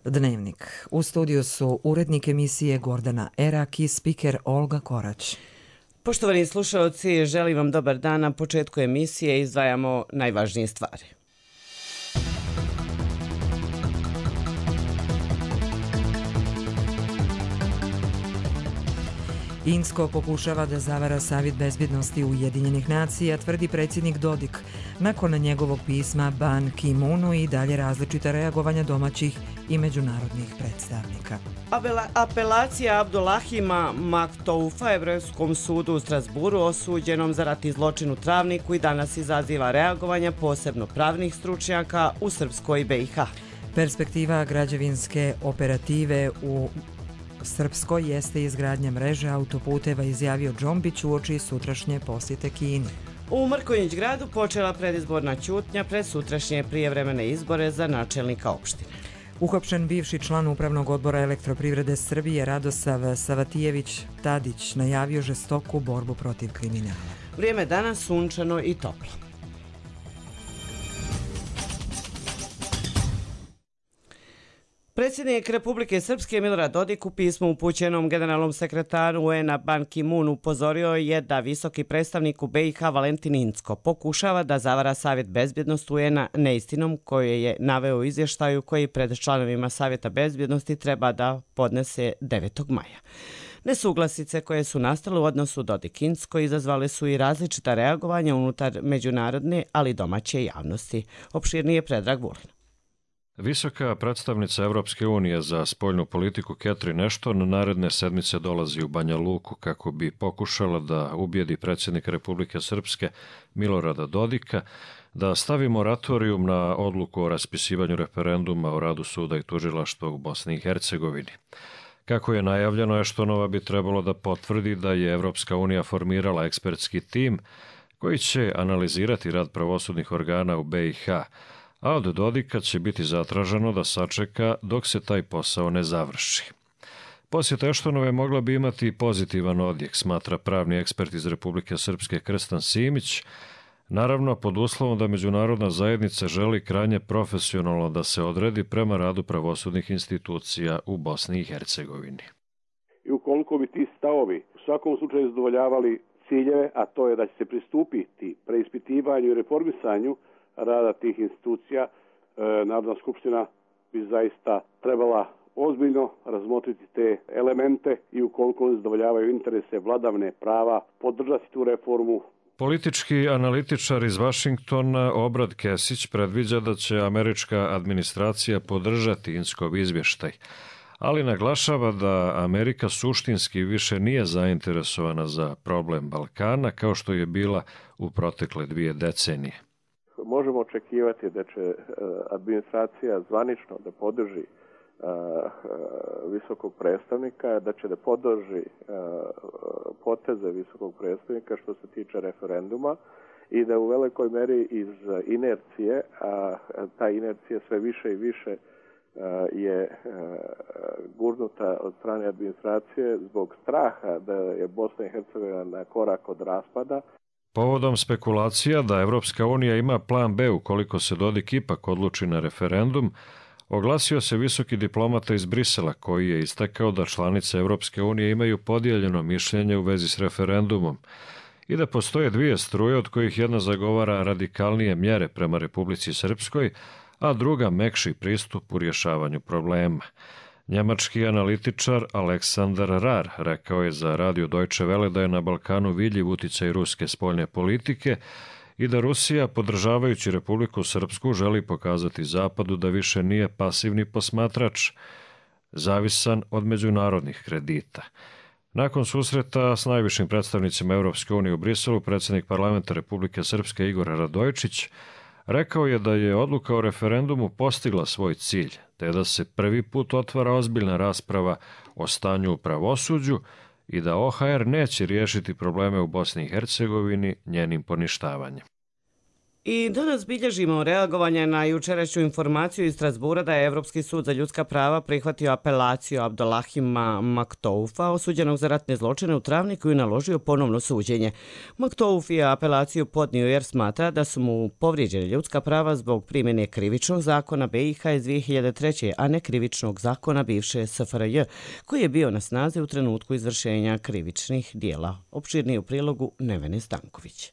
Dnevnik. U studiju su urednik emisije Gordana Erak i spiker Olga Korać. Poštovani slušalci, želim vam dobar dan. Na početku emisije izdvajamo najvažnije stvari. Insko pokušava da zavara Savjet bezbjednosti Ujedinjenih nacija, tvrdi predsjednik Dodik. Nakon njegovog pisma Ban Ki-moonu i dalje različita reagovanja domaćih i međunarodnih predstavnika. Apelacija Abdulahima Maktoufa Evropskom sudu u Strasburu osuđenom za ratni zločin u Travniku i danas izaziva reagovanja posebno pravnih stručnjaka u Srpskoj i BiH. Perspektiva građevinske operative u Srpskoj jeste izgradnja mreže autoputeva, izjavio Džombić uoči sutrašnje posjete Kini. U Mrkonjić gradu počela predizborna ćutnja pred sutrašnje prijevremene izbore za načelnika opštine. Uhapšen bivši član Upravnog odbora Elektroprivrede Srbije Radosav Savatijević Tadić najavio žestoku borbu protiv kriminala. Vrijeme danas sunčano i toplo. Predsjednik Republike Srpske Milorad Dodik u pismu upućenom generalnom sekretaru UN-a Ban Ki-moon upozorio je da visoki predstavnik u BiH Valentin Incko pokušava da zavara Savjet bezbjednosti UN-a neistinom koju je naveo u izvještaju koji pred članovima Savjeta bezbjednosti treba da podnese 9. maja. Nesuglasice koje su nastale u odnosu Dodik-Incko izazvale su i različita reagovanja unutar međunarodne, ali domaće javnosti. Opširnije Predrag Vulin. Visoka predstavnica Evropske unije za spoljnu politiku Catherine Ashton naredne sedmice dolazi u Banja Luku kako bi pokušala da ubijedi predsjednika Republike Srpske Milorada Dodika da stavi moratorijum na odluku o raspisivanju referenduma o radu suda i tužilaštva u Bosni i Hercegovini. Kako je najavljeno, Ashtonova bi trebalo da potvrdi da je Evropska unija formirala ekspertski tim koji će analizirati rad pravosudnih organa u BiH, a od Dodika će biti zatraženo da sačeka dok se taj posao ne završi. Posjeta Ashtonove mogla bi imati pozitivan odjek, smatra pravni ekspert iz Republike Srpske Krstan Simić, naravno pod uslovom da međunarodna zajednica želi krajnje profesionalno da se odredi prema radu pravosudnih institucija u Bosni i Hercegovini. I ukoliko bi ti stavovi u svakom slučaju zadovoljavali ciljeve, a to je da će se pristupiti preispitivanju i reformisanju rada tih institucija, Narodna skupština bi zaista trebala ozbiljno razmotriti te elemente i ukoliko zadovoljavaju interese vladavine prava, podržati tu reformu. Politički analitičar iz Vašingtona Obrad Kesić predviđa da će američka administracija podržati Inckov izvještaj, ali naglašava da Amerika suštinski više nije zainteresovana za problem Balkana kao što je bila u protekle 2 decenije. Možemo očekivati da će administracija zvanično da podrži visokog predstavnika, da će da podrži poteze visokog predstavnika što se tiče referenduma i da u velikoj meri iz inercije, a ta inercija sve više i više je gurnuta od strane administracije zbog straha da je Bosna i Hercegovina na korak od raspada. Povodom spekulacija da Evropska unija ima plan B ukoliko se Dodik ipak odluči na referendum, oglasio se visoki diplomata iz Brisela koji je istakao da članice Evropske unije imaju podijeljeno mišljenje u vezi s referendumom i da postoje 2 struje od kojih jedna zagovara radikalnije mjere prema Republici Srpskoj, a druga mekši pristup u rješavanju problema. Njemački analitičar Aleksandar Rar rekao je za radio Deutsche Welle da je na Balkanu vidljiv uticaj ruske spoljne politike i da Rusija, podržavajući Republiku Srpsku, želi pokazati Zapadu da više nije pasivni posmatrač, zavisan od međunarodnih kredita. Nakon susreta s najvišim predstavnicima Evropske unije u Briselu, predsjednik parlamenta Republike Srpske Igor Radojičić rekao je da je odluka o referendumu postigla svoj cilj, te da se prvi put otvara ozbiljna rasprava o stanju u pravosuđu i da OHR neće riješiti probleme u Bosni i Hercegovini njenim poništavanjem. I danas bilježimo reagovanje na jučerašnju informaciju iz Strasbura da je Evropski sud za ljudska prava prihvatio apelaciju Abdolahima Maktoufa, osuđenog za ratne zločine u Travniku i naložio ponovno suđenje. Maktouf je apelaciju podnio jer smatra da su mu povrijeđene ljudska prava zbog primjene krivičnog zakona BiH iz 2003. a ne krivičnog zakona bivše SFRJ, koji je bio na snazi u trenutku izvršenja krivičnih dijela. Opširnije u prilogu Nevene Stanković.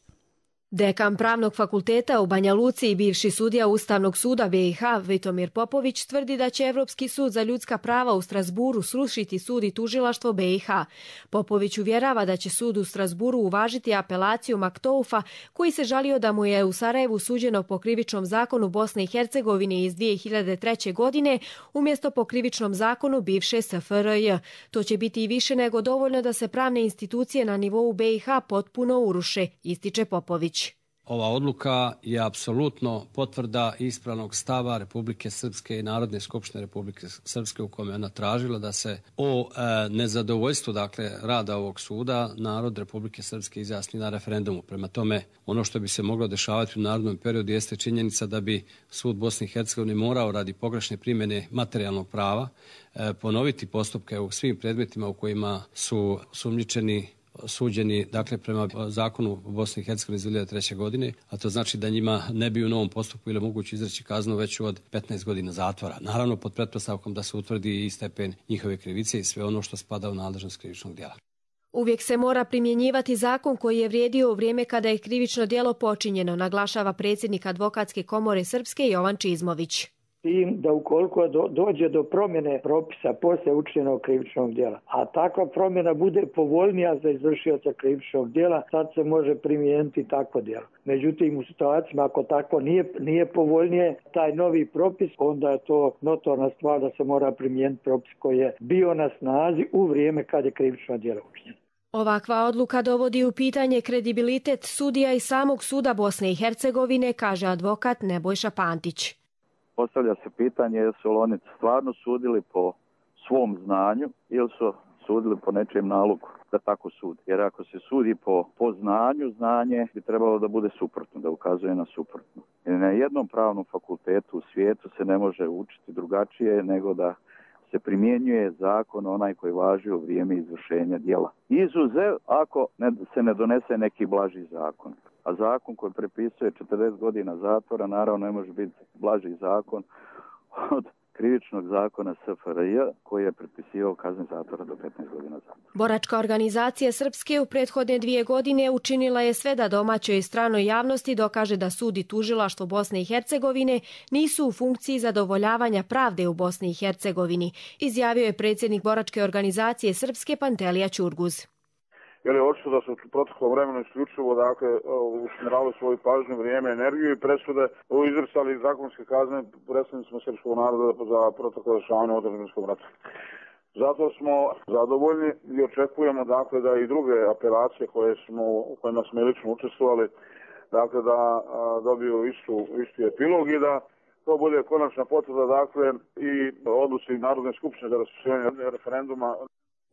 Dekan Pravnog fakulteta u Banja Luci i bivši sudija Ustavnog suda BiH Vitomir Popović tvrdi da će Evropski sud za ljudska prava u Strasburu srušiti sud i tužilaštvo BiH. Popović uvjerava da će sud u Strasburu uvažiti apelaciju Maktoufa, koji se žalio da mu je u Sarajevu suđeno po krivičnom zakonu Bosne i Hercegovine iz 2003. godine umjesto po krivičnom zakonu bivše SFRJ. To će biti i više nego dovoljno da se pravne institucije na nivou BiH potpuno uruše, ističe Popović. Ova odluka je apsolutno potvrda ispravnog stava Republike Srpske i Narodne skupštine Republike Srpske u kome ona tražila da se o nezadovoljstvu rada ovog suda narod Republike Srpske izjasni na referendumu. Prema tome, ono što bi se moglo dešavati u narednom periodu jeste činjenica da bi sud Bosne i Hercegovine morao radi pogrešne primjene materijalnog prava ponoviti postupke u svim predmetima u kojima su osumnjičeni suđeni, prema zakonu Bosne i Hercegovine iz 2003. godine, a to znači da njima ne bi u novom postupku ili moguće izreći kaznu veću od 15 godina zatvora. Naravno, pod pretpostavkom da se utvrdi i stepen njihove krivice i sve ono što spada u nadležnost krivičnog djela. Uvijek se mora primjenjivati zakon koji je vrijedio u vrijeme kada je krivično djelo počinjeno, naglašava predsjednik Advokatske komore Srpske Jovan Čizmović. Tim da ukoliko dođe do promjene propisa poslije učinjenog krivičnog djela, a takva promjena bude povoljnija za izvršioca krivičnog djela, sad se može primijeniti takvo djelo. Međutim, u situacijama ako tako nije povoljnije taj novi propis, onda je to notorna stvar da se mora primijeniti propis koji je bio na snazi u vrijeme kad je krivično djelo učinjeno. Ovakva odluka dovodi u pitanje kredibilitet sudija i samog suda Bosne i Hercegovine, kaže advokat Nebojša Pantić. Postavlja se pitanje jesu li oni stvarno sudili po svom znanju ili su sudili po nečijem nalogu da tako sudi. Jer ako se sudi po znanju, znanje bi trebalo da bude suprotno, da ukazuje na suprotno. Jer na jednom pravnom fakultetu u svijetu se ne može učiti drugačije nego da se primjenjuje zakon onaj koji važi u vrijeme izvršenja djela. Izuzev ako se ne donese neki blaži zakon. A zakon koji prepisuje 40 godina zatvora naravno ne može biti blaži zakon od krivičnog zakona SFRJ koji je prepisivao kazne zatvora do 15 godina zatvora. Boračka organizacija Srpske u prethodne 2 godine učinila je sve da domaćoj i stranoj javnosti dokaže da sud i tužilaštvo Bosne i Hercegovine nisu u funkciji zadovoljavanja pravde u Bosni i Hercegovini, izjavio je predsjednik Boračke organizacije Srpske Pantelija Ćurguz. Jer je očito da su u proteklom vremenu isključivo usmjeravali svoju pažnju, vrijeme, energiju i presude izricali zakonske kazne predstavnicima srpskog naroda za proteklo dešavanje u Drugom ratu. Zato smo zadovoljni i očekujemo da i druge apelacije u kojima smo lično učestvovali da dobiju isti epilog i da to bude konačna potvrda i odluci Narodne skupštine za raspisivanje referenduma.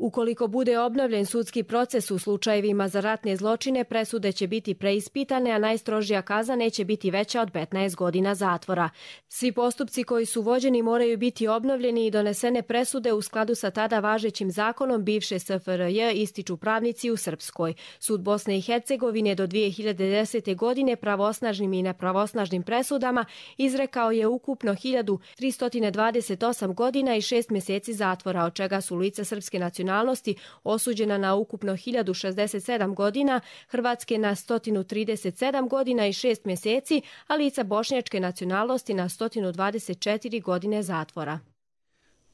Ukoliko bude obnovljen sudski proces u slučajevima za ratne zločine, presude će biti preispitane, a najstrožija kazna neće biti veća od 15 godina zatvora. Svi postupci koji su vođeni moraju biti obnovljeni i donesene presude u skladu sa tada važećim zakonom bivše SFRJ, ističu pravnici u Srpskoj. Sud Bosne i Hercegovine do 2010. godine pravosnažnim i nepravosnažnim presudama izrekao je ukupno 1328 godina i 6 mjeseci zatvora, od čega su lica srpske nacionalnosti osuđena na ukupno 1067 godina, hrvatske na 137 godina i 6 mjeseci, a lica bošnjačke nacionalnosti na 124 godine zatvora.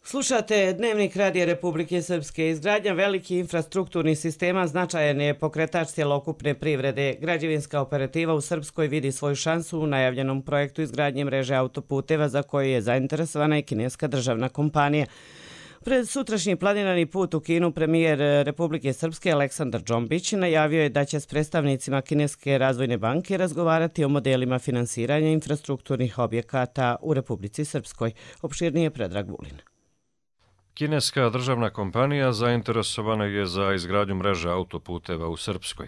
Slušate Dnevnik Radija Republike Srpske. Izgradnja velikih infrastrukturnih sistema značajan je pokretač cjelokupne privrede. Građevinska operativa u Srpskoj vidi svoju šansu u najavljenom projektu izgradnje mreže autoputeva za koju je zainteresovana i kineska državna kompanija. Pred sutrašnji planirani put u Kinu premijer Republike Srpske Aleksandar Džombić najavio je da će s predstavnicima Kineske razvojne banke razgovarati o modelima finansiranja infrastrukturnih objekata u Republici Srpskoj. Opširnije Predrag Vulin. Kineska državna kompanija zainteresovana je za izgradnju mreže autoputeva u Srpskoj.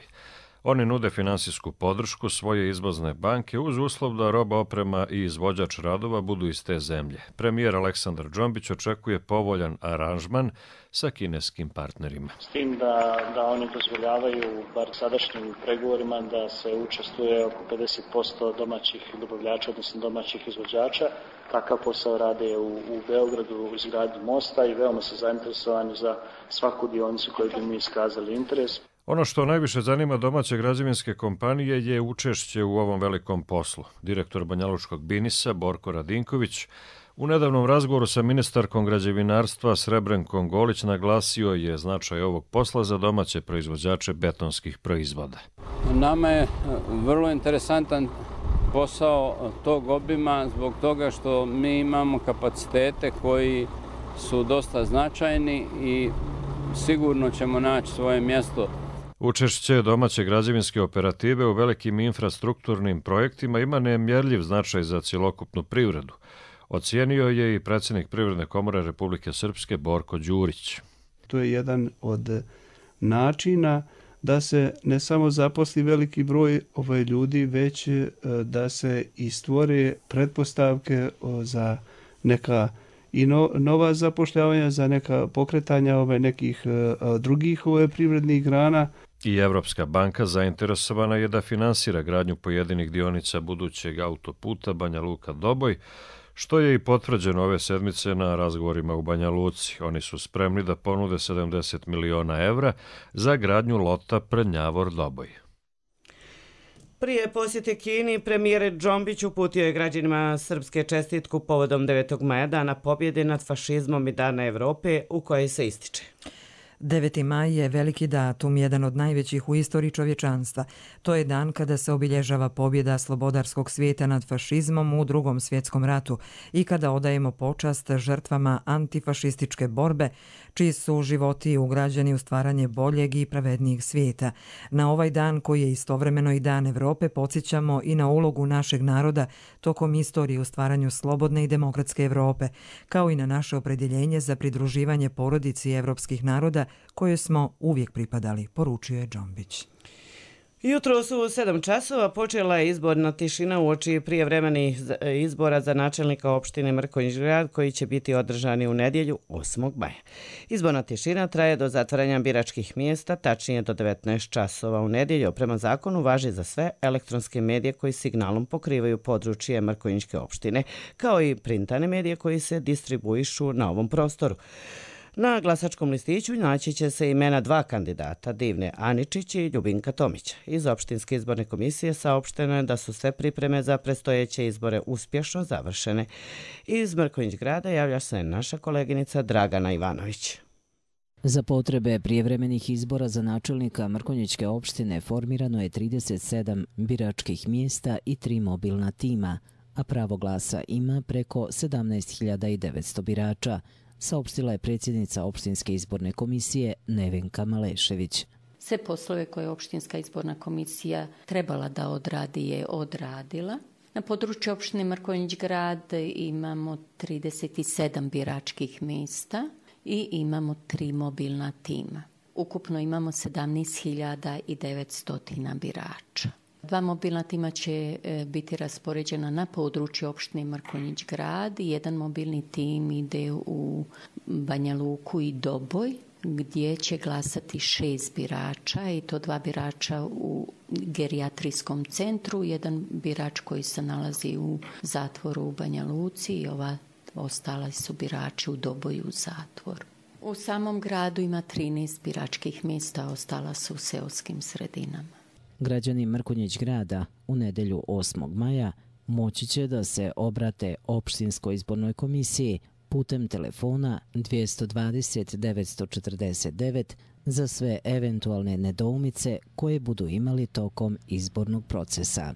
Oni nude finansijsku podršku svoje izvozne banke uz uslov da roba, oprema i izvođač radova budu iz te zemlje. Premijer Aleksandar Džombić očekuje povoljan aranžman sa kineskim partnerima. S tim da oni dozvoljavaju, bar sadašnjim pregovorima, da se učestvuje oko 50% domaćih dobavljača, odnosno domaćih izvođača. Takav posao rade u Beogradu u izgradnji mosta i veoma su zainteresovani za svaku dionicu koju bi mi iskazali interes. Ono što najviše zanima domaće građevinske kompanije je učešće u ovom velikom poslu. Direktor Banjalučkog Binisa Borko Radinković u nedavnom razgovoru sa ministarkom građevinarstva Srebrenkom Golić naglasio je značaj ovog posla za domaće proizvođače betonskih proizvoda. Nama je vrlo interesantan posao tog obima zbog toga što mi imamo kapacitete koji su dosta značajni i sigurno ćemo naći svoje mjesto. Učešće domaće građevinske operative u velikim infrastrukturnim projektima ima nemjerljiv značaj za cjelokupnu privredu. Ocijenio je i predsjednik Privredne komore Republike Srpske Borko Đurić. To je jedan od načina da se ne samo zaposli veliki broj ljudi, već da se i stvore pretpostavke za neka i nova zapošljavanja, za neka pokretanja nekih drugih privrednih grana. I Evropska banka zainteresovana je da finansira gradnju pojedinih dionica budućeg autoputa Banja Luka-Doboj, što je i potvrđeno ove sedmice na razgovorima u Banja Luci. Oni su spremni da ponude 70 miliona evra za gradnju lota Prednjavor-Doboj. Prije posjete Kini, premijer Džombić uputio je građanima Srpske čestitku povodom 9. maja, Dana pobjede nad fašizmom i Dana Evrope, u kojoj se ističe. 9. maj je veliki datum, jedan od najvećih u istoriji čovječanstva. To je dan kada se obilježava pobjeda slobodarskog svijeta nad fašizmom u Drugom svjetskom ratu i kada odajemo počast žrtvama antifašističke borbe, čiji su životi ugrađeni u stvaranje boljeg i pravednijeg svijeta. Na ovaj dan, koji je istovremeno i Dan Evrope, podsjećamo i na ulogu našeg naroda tokom istorije u stvaranju slobodne i demokratske Evrope, kao i na naše opredjeljenje za pridruživanje porodici evropskih naroda koje smo uvijek pripadali, poručio je Džombić. Jutro su u 7 časova počela je izborna tišina uoči prijevremenih izbora za načelnika opštine Mrkonjić Grad, koji će biti održani u nedjelju 8. maja. Izborna tišina traje do zatvaranja biračkih mjesta, tačnije do 19 časova u nedjelju. Prema zakonu važi za sve elektronske medije koji signalom pokrivaju područje Mrkonjićke opštine, kao i printane medije koji se distribuišu na ovom prostoru. Na glasačkom listiću naći će se imena 2 kandidata, Divne Aničić i Ljubinka Tomića. Iz opštinske izborne komisije saopšteno je da su sve pripreme za predstojeće izbore uspješno završene. Iz Mrkonjić Grada javlja se naša koleginica Dragana Ivanović. Za potrebe prijevremenih izbora za načelnika Mrkonjićke opštine formirano je 37 biračkih mjesta i 3 mobilna tima, a pravo glasa ima preko 17.900 birača, saopštila je predsjednica opštinske izborne komisije Nevenka Malešević. Sve poslove koje je opštinska izborna komisija trebala da odradi je odradila. Na području opštine Mrkonjić Grad imamo 37 biračkih mjesta i imamo 3 mobilna tima. Ukupno imamo 17.900 birača. 2 mobilna tima će biti raspoređena na području opštine Mrkonjić Grad. Jedan mobilni tim ide u Banja Luku i Doboj, gdje će glasati 6 birača i to 2 birača u gerijatrijskom centru, jedan birač koji se nalazi u zatvoru u Banja Luci i ostali su birači u Doboju u zatvoru. U samom gradu ima 13 biračkih mjesta, ostala su u seoskim sredinama. Građani Mrkonjić Grada u nedjelju 8. maja moći će da se obrate opštinskoj izbornoj komisiji putem telefona 220 949 za sve eventualne nedoumice koje budu imali tokom izbornog procesa.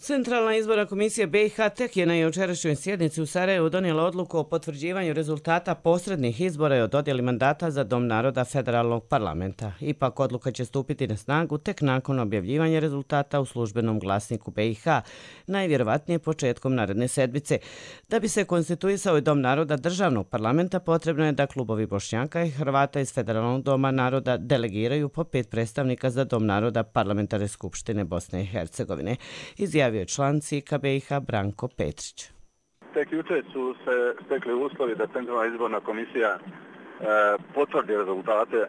Centralna izborna komisija BiH tek je na jučerašnjoj sjednici u Sarajevu donijela odluku o potvrđivanju rezultata posrednih izbora i o dodjeli mandata za Dom naroda federalnog parlamenta. Ipak odluka će stupiti na snagu tek nakon objavljivanja rezultata u službenom glasniku BiH, najvjerovatnije početkom naredne sedmice. Da bi se konstituisao i Dom naroda državnog parlamenta, potrebno je da klubovi Bošnjaka i Hrvata iz Federalnog doma naroda delegiraju po 5 predstavnika za Dom naroda Parlamentarne skupštine Bosne i Hercegovine. Izjavio je član CIK BiH Branko Petrić. Tek jučer su se stekli uslovi da Centralna izborna komisija potvrdi rezultate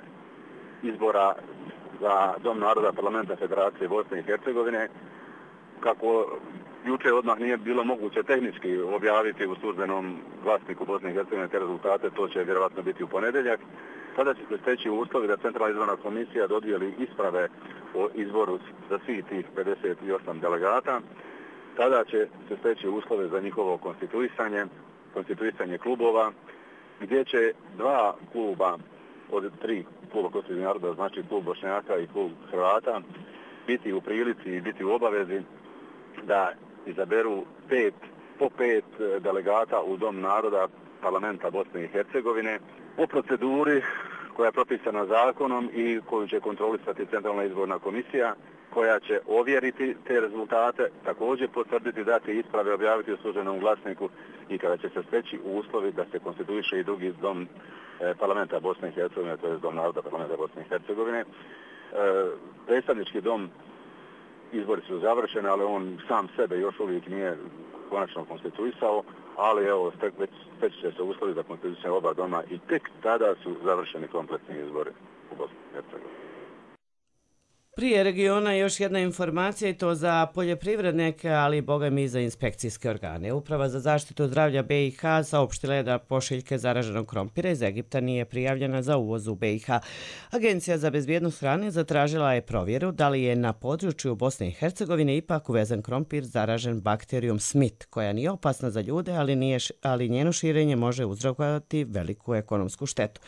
izbora za Dom naroda Parlamenta Federacije Bosne i Hercegovine. Kako jučer odmah nije bilo moguće tehnički objaviti u službenom glasniku Bosne i Hercegovine te rezultate, to će vjerovatno biti u ponedjeljak. Tada će se steći uslovi da Centralna izborna komisija dodijeli isprave o izboru za svih tih 58 delegata. Tada će se steći uslove za njihovo konstituisanje klubova, gdje će 2 kluba od 3 kluba konstitutivnih naroda, znači klub Bošnjaka i klub Hrvata, biti u prilici i biti u obavezi da izaberu po 5 delegata u Dom naroda Parlamenta Bosne i Hercegovine po proceduri koja je propisana zakonom i koju će kontrolisati Centralna izborna komisija, koja će ovjeriti te rezultate, također potvrditi, dati isprave, objaviti u službenom glasniku i kada će se steći uslovi da se konstituiše i drugi Dom Parlamenta Bosne i Hercegovine, to je Dom naroda Parlamenta Bosne i Hercegovine. Predstavnički dom, izbori su završeni, ali on sam sebe još uvijek nije konačno konstituisao, ali evo, steći će se uslovi za konstituisanje oba doma i tek tada su završeni kompletni izbori u Bosni i Hercegovini. Prije regiona još jedna informacija i to za poljoprivrednike, ali i bogami za inspekcijske organe. Uprava za zaštitu zdravlja BiH saopštila je da pošiljke zaraženog krompira iz Egipta nije prijavljena za uvoz u BiH. Agencija za bezbjednost hrane zatražila je provjeru da li je na području Bosne i Hercegovine ipak uvezen krompir zaražen bakterijom Smith, koja nije opasna za ljude, ali njeno širenje može uzrokovati veliku ekonomsku štetu.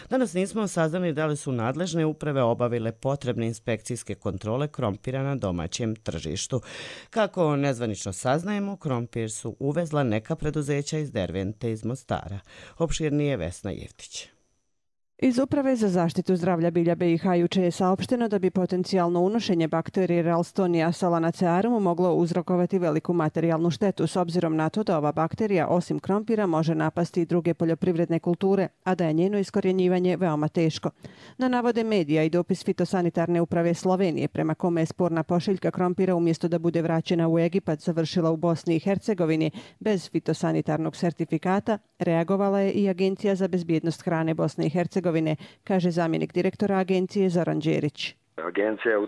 Danas nismo saznali da li su nadležne uprave obavile potrebne inspekcijske kontrole krompira na domaćem tržištu. Kako nezvanično saznajemo, krompir su uvezla neka preduzeća iz Dervente iz Mostara. Opširnije Vesna Jevtić. Iz Uprave za zaštitu zdravlja bilja BiH juče je saopšteno da bi potencijalno unošenje bakterije Ralstonia solanacearum moglo uzrokovati veliku materijalnu štetu s obzirom na to da ova bakterija osim krompira može napasti i druge poljoprivredne kulture, a da je njeno iskorjenjivanje veoma teško. Na navode medija i dopis Fitosanitarne uprave Slovenije prema kome je sporna pošiljka krompira umjesto da bude vraćena u Egipat završila u Bosni i Hercegovini bez fitosanitarnog sertifikata, reagovala je i Agencija za bezbjednost hrane Bosne i Hercegovine, kaže zamjenik direktora agencije Zoran Đerić. Agencija je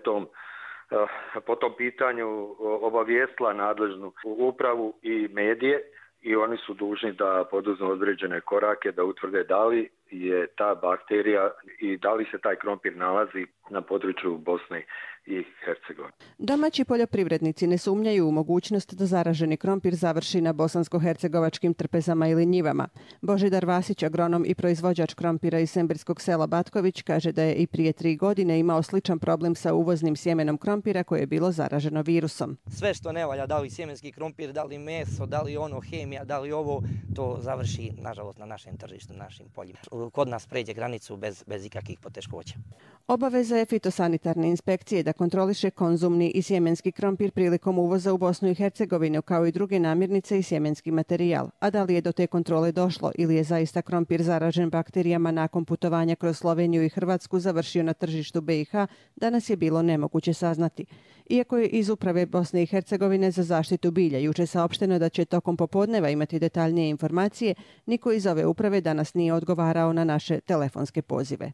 po tom pitanju obavijestila nadležnu upravu i medije i oni su dužni da poduzmu određene korake da utvrde da li je ta bakterija i da li se taj krompir nalazi na području Bosne i Hercegovine. Domaći poljoprivrednici ne sumnjaju u mogućnost da zaraženi krompir završi na bosansko-hercegovačkim trpezama ili njivama. Božidar Vasić, agronom i proizvođač krompira iz semberskog sela Batković, kaže da je i prije 3 godine imao sličan problem sa uvoznim sjemenom krompira koje je bilo zaraženo virusom. Sve što ne valja, da li sjemenski krompir, da li meso, da li hemija, da li ovo, to završi, nažalost, na našem tržištu, na našim poljima. Kod nas pređe granicu bez ikakvih poteškoća. Obaveza je fitosanitarne inspekcije da kontroliše konzumni i sjemenski krompir prilikom uvoza u Bosnu i Hercegovinu, kao i druge namirnice i sjemenski materijal. A da li je do te kontrole došlo ili je zaista krompir zaražen bakterijama nakon putovanja kroz Sloveniju i Hrvatsku završio na tržištu BiH, danas je bilo nemoguće saznati. Iako je iz Uprave Bosne i Hercegovine za zaštitu bilja juče saopšteno da će tokom popodneva imati detaljnije informacije, niko iz ove uprave danas nije odgovarao na naše telefonske pozive.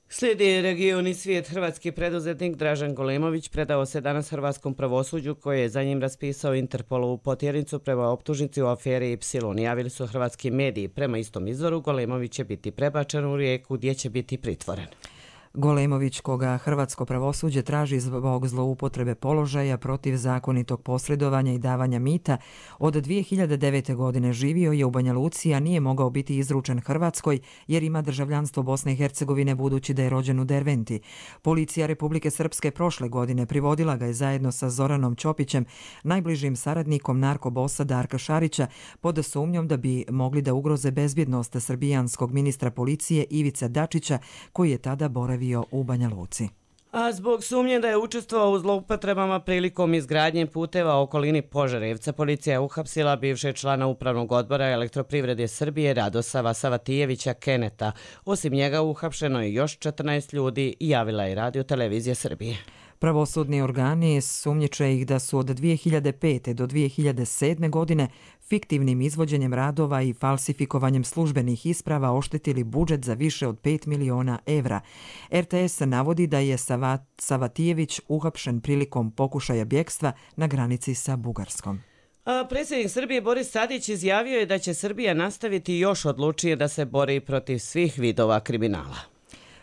Slijedi region i svijet. Hrvatski preduzetnik Dražen Golemović predao se danas hrvatskom pravosuđu koje je za njim raspisao Interpolovu potjernicu prema optužnici u aferi Ipsilon. Javili su hrvatski mediji. Prema istom izvoru, Golemović će biti prebačen u Rijeku gdje će biti pritvoren. Golemović, koga hrvatsko pravosuđe traži zbog zloupotrebe položaja, protiv zakonitog posredovanja i davanja mita, od 2009. godine živio je u Banja Luci, a nije mogao biti izručen Hrvatskoj jer ima državljanstvo Bosne i Hercegovine budući da je rođen u Derventi. Policija Republike Srpske prošle godine privodila ga je zajedno sa Zoranom Ćopićem, najbližim saradnikom narkobosa Darka Šarića, pod sumnjom da bi mogli da ugroze bezbjednost srbijanskog ministra policije Ivice Dačića, koji je tada boravio u Banja Luci. A zbog sumnje da je učestvovao u zloupotrebama prilikom izgradnje puteva u okolini Požarevca, policija je uhapsila bivšeg člana Upravnog odbora Elektroprivrede Srbije Radosava Savatijevića Keneta. Osim njega uhapšeno je još 14 ljudi, javila je Radio Televizija Srbije. Pravosudni organi sumnjiče ih da su od 2005. do 2007. godine fiktivnim izvođenjem radova i falsifikovanjem službenih isprava oštetili budžet za više od 5 miliona evra. RTS navodi da je Savatijević uhapšen prilikom pokušaja bjegstva na granici sa Bugarskom. A predsjednik Srbije Boris Tadić izjavio je da će Srbija nastaviti još odlučnije da se bori protiv svih vidova kriminala.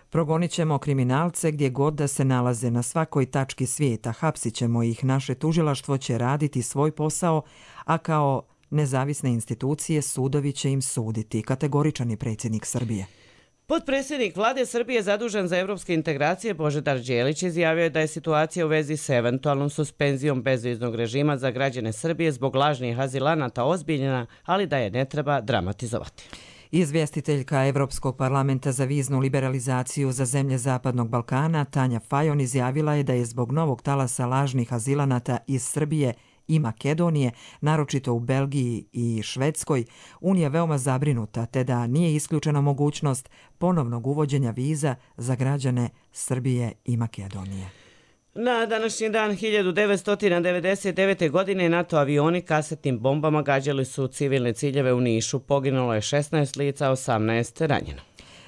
Progonit ćemo kriminalce gdje god da se nalaze na svakoj tački svijeta, hapsit ćemo ih, naše tužilaštvo će raditi svoj posao, a kao nezavisne institucije sudovi će im suditi, kategoričan je predsjednik Srbije. Potpredsjednik vlade Srbije zadužen za evropske integracije Božidar Đelić izjavio je da je situacija u vezi s eventualnom suspenzijom bezviznog režima za građane Srbije zbog lažnih azilanata ozbiljna, ali da je ne treba dramatizovati. Izvjestiteljka Evropskog parlamenta za viznu liberalizaciju za zemlje Zapadnog Balkana Tanja Fajon izjavila je da je zbog novog talasa lažnih azilanata iz Srbije i Makedonije, naročito u Belgiji i Švedskoj, Unija veoma zabrinuta, te da nije isključena mogućnost ponovnog uvođenja viza za građane Srbije i Makedonije. Na današnji dan 1999. godine NATO avioni kasetnim bombama gađali su civilne ciljeve u Nišu. Poginulo je 16 lica, 18 ranjeno.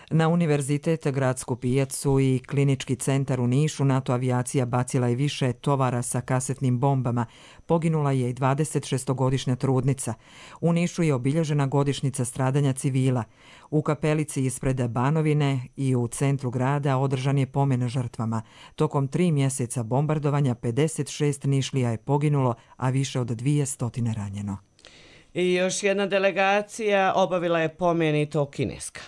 Na Univerzitet, gradsku pijacu i klinički centar u Nišu NATO avijacija bacila je više tovara sa kasetnim bombama. Poginula je i 26-godišnja trudnica. U Nišu je obilježena godišnjica stradanja civila. U kapelici ispred Banovine i u centru grada održan je pomen žrtvama. Tokom 3 mjeseca bombardovanja 56 Nišlija je poginulo, a više od 200 ranjeno. I još jedna delegacija obavila je pomen i to kineska.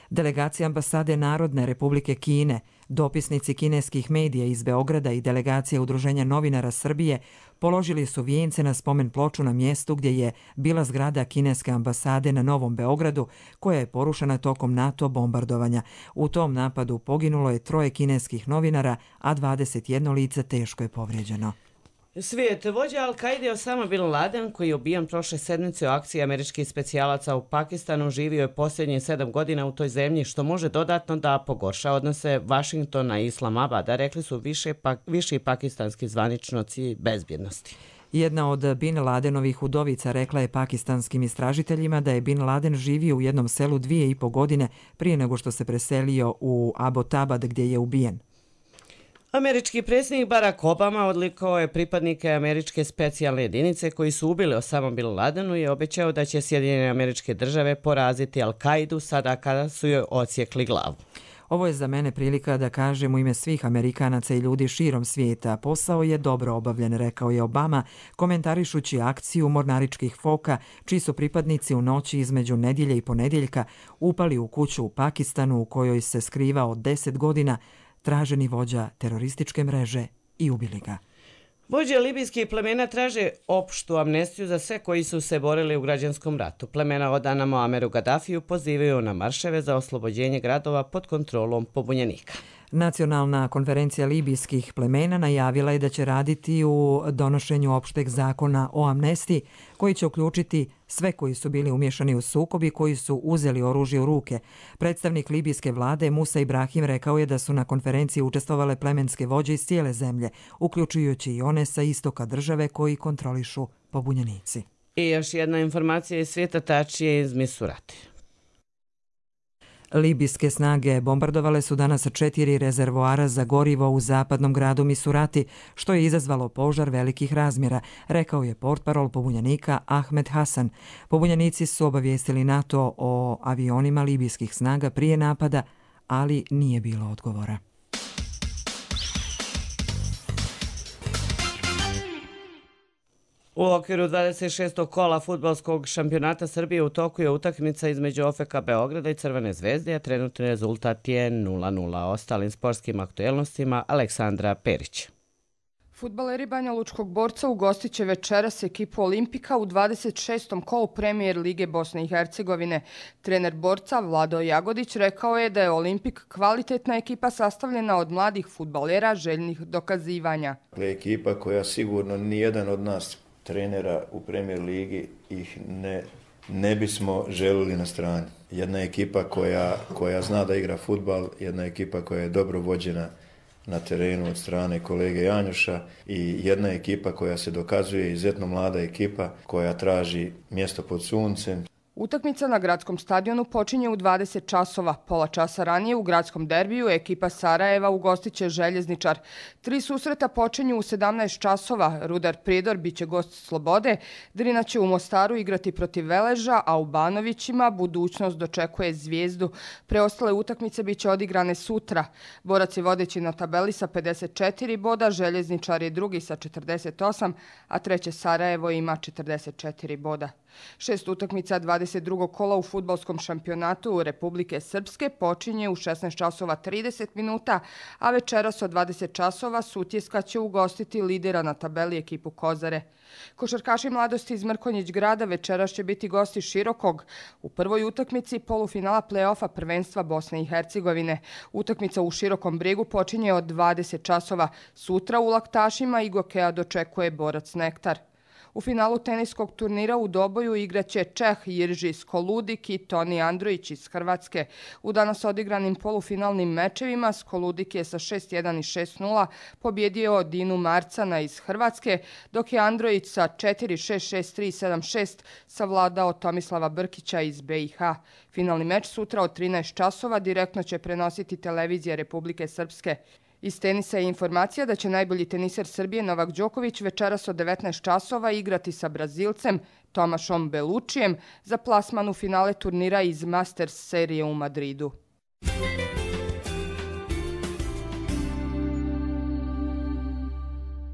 Delegacija ambasade Narodne Republike Kine, dopisnici kineskih medija iz Beograda i delegacija Udruženja novinara Srbije položili su vijence na spomen ploču na mjestu gdje je bila zgrada kineske ambasade na Novom Beogradu, koja je porušena tokom NATO bombardovanja. U tom napadu poginulo je 3 kineskih novinara, a 21 lice teško je povrijeđeno. Svijet vođa Al-Kaide Osama Bin Laden, koji je ubijen prošle sedmice u akciji američkih specijalaca u Pakistanu, živio je posljednjih 7 godina u toj zemlji, što može dodatno da pogorša odnose Vašingtona i Islamabada, rekli su viši pakistanski zvaničnici bezbjednosti. Jedna od Bin Ladenovih udovica rekla je pakistanskim istražiteljima da je Bin Laden živio u jednom selu 2,5 godine prije nego što se preselio u Abbottabad gdje je ubijen. Američki predsjednik Barack Obama odlikovao je pripadnike američke specijalne jedinice koji su ubili Osama Bin Ladenu i obećao da će Sjedinjene Američke Države poraziti Al-Kaidu sada kada su joj odsjekli glavu. Ovo je za mene prilika da kažem u ime svih Amerikanaca i ljudi širom svijeta. Posao je dobro obavljen, rekao je Obama, komentarišući akciju mornaričkih foka, čiji su pripadnici u noći između nedjelje i ponedjeljka upali u kuću u Pakistanu u kojoj se skrivao 10 godina traženi vođa terorističke mreže i ubili ga. Vođe libijskih plemena traže opštu amnestiju za sve koji su se borili u građanskom ratu. Plemena odana Muameru Gaddafiju pozivaju na marševe za oslobođenje gradova pod kontrolom pobunjenika. Nacionalna konferencija libijskih plemena najavila je da će raditi u donošenju opšteg zakona o amnestiji, koji će uključiti sve koji su bili umješani u sukob i koji su uzeli oružje u ruke. Predstavnik libijske vlade Musa Ibrahim rekao je da su na konferenciji učestvovale plemenske vođe iz cijele zemlje, uključujući i one sa istoka države koji kontrolišu pobunjenici. I još jedna informacija iz svijeta, tačnije iz Misurati. Libijske snage bombardovale su danas 4 rezervoara za gorivo u zapadnom gradu Misurati, što je izazvalo požar velikih razmjera, rekao je portparol pobunjenika Ahmed Hasan. Pobunjenici su obavijestili NATO o avionima libijskih snaga prije napada, ali nije bilo odgovora. U okviru 26. kola fudbalskog šampionata Srbije u toku je utakmica između OFK Beograda i Crvene zvezde, a trenutni rezultat je 0:0. Ostalim sportskim aktuelnostima Aleksandra Perić. Fudbaleri Banja Lučkog Borca ugostit će večeras ekipu Olimpika u 26. kolu Premijer Lige Bosne i Hercegovine. Trener Borca Vlado Jagodić rekao je da je Olimpik kvalitetna ekipa sastavljena od mladih fudbalera željnih dokazivanja. Ekipa koja sigurno nijedan od nas trenera u Premijer Ligi ih ne bismo želili na strani. Jedna ekipa koja zna da igra fudbal, jedna ekipa koja je dobro vođena na terenu od strane kolege Janjuša i jedna ekipa koja se dokazuje, izuzetno mlada ekipa koja traži mjesto pod suncem. Utakmica na gradskom stadionu počinje u 20 časova. Pola časa ranije u gradskom derbiju ekipa Sarajeva ugostit će Željezničar. 3 susreta počinju u 17 časova. Rudar Prijedor biće gost Slobode, Drina će u Mostaru igrati protiv Veleža, a u Banovićima budućnost dočekuje Zvijezdu. Preostale utakmice biće odigrane sutra. Borac je vodeći na tabeli sa 54 boda, Željezničar je drugi sa 48, a treće Sarajevo ima 44 boda. 6 utakmica 22. kola u fudbalskom šampionatu Republike Srpske počinje u 16 časova 30 minuta, a večeras od 20 časova Sutjeska će ugostiti lidera na tabeli ekipu Kozare. Košarkaši mladosti iz Mrkonjić grada večeras će biti gosti Širokog u prvoj utakmici polufinala play-offa prvenstva Bosne i Hercegovine. Utakmica u Širokom Brigu počinje od 20 časova. Sutra u Laktašima Igokea dočekuje Borac Nektar. U finalu teniskog turnira u Doboju igraće Čeh Jirži Skoludik i Toni Androjić iz Hrvatske. U danas odigranim polufinalnim mečevima Skoludik je sa 6:1 i 6:0 pobjedio Dinu Marcana iz Hrvatske, dok je Androjić sa 4:6, 6:3 i 7:6 savladao Tomislava Brkića iz BiH. Finalni meč sutra od 13 časova direktno će prenositi televizija Republike Srpske. Iz tenisa je informacija da će najbolji teniser Srbije Novak Đoković večeras od 19 časova igrati sa Brazilcem Tomašom Belučijem za plasman u finale turnira iz Masters serije u Madridu.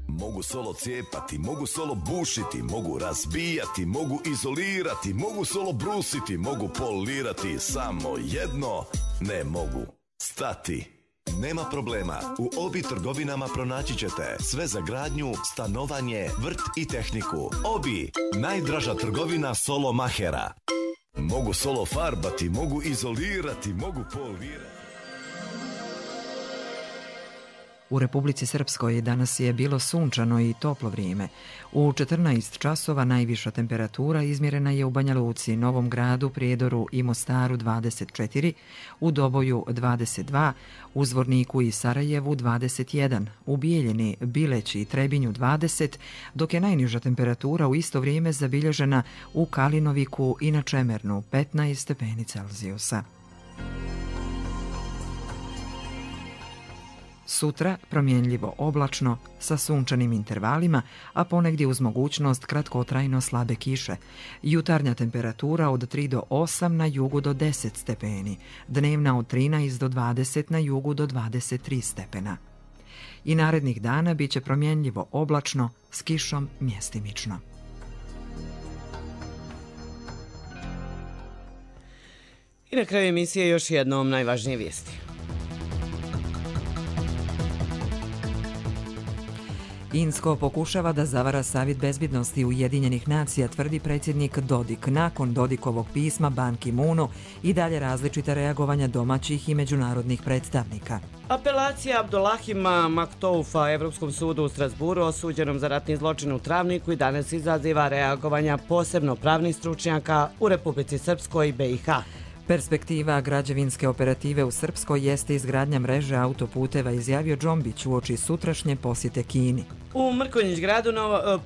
Mogu solo cijepati, mogu solo bušiti, mogu razbijati, mogu izolirati, mogu solo brusiti, mogu polirati, samo jedno ne mogu stati. Nema problema, u Obi trgovinama pronaći ćete sve za gradnju, stanovanje, vrt i tehniku. Obi, najdraža trgovina solo mahera. Mogu solo farbati, mogu izolirati, mogu polirati. U Republici Srpskoj danas je bilo sunčano i toplo vrijeme. U 14 časova najviša temperatura izmjerena je u Banja Luci, Novom Gradu, Prijedoru i Mostaru 24, u Doboju 22, u Zvorniku i Sarajevu 21, u Bijeljini, Bileći i Trebinju 20, dok je najniža temperatura u isto vrijeme zabilježena u Kalinoviku i na Čemernu 15 stepeni Celzijusa. Sutra promjenljivo oblačno sa sunčanim intervalima, a ponegdje uz mogućnost kratkotrajno slabe kiše. Jutarnja temperatura od 3 do 8, na jugu do 10 stepeni, dnevna od 13 do 20, na jugu do 23 stepena. I narednih dana bit će promjenljivo oblačno s kišom mjestimično. I na kraju emisije još jednom najvažnije vijesti. Insko pokušava da zavara Savjet bezbjednosti Ujedinjenih nacija, tvrdi predsjednik Dodik. Nakon Dodikovog pisma Ban Ki-moonu i dalje različita reagovanja domaćih i međunarodnih predstavnika. Apelacija Abdulahima Maktoufa Evropskom sudu u Strasburu osuđenom za ratni zločin u Travniku i danas izaziva reagovanja posebno pravnih stručnjaka u Republici Srpskoj i BiH. Perspektiva građevinske operative u Srpskoj jeste izgradnja mreže autoputeva, izjavio Džombić uoči sutrašnje posjete Kini. U Mrkonjić gradu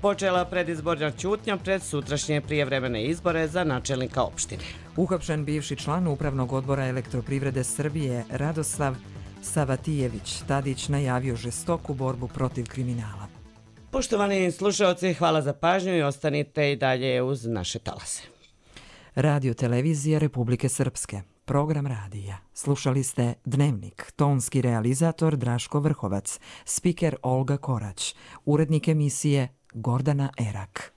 počela predizborna ćutnja pred sutrašnje prijevremene izbore za načelnika opštine. Uhapšen bivši član Upravnog odbora Elektroprivrede Srbije Radoslav Savatijević Tadić najavio žestoku borbu protiv kriminala. Poštovani slušalci, hvala za pažnju i ostanite i dalje uz naše talase. Radio televizija Republike Srpske. Program radija. Slušali ste Dnevnik, tonski realizator Draško Vrhovac, spiker Olga Korać, urednik emisije Gordana Erak.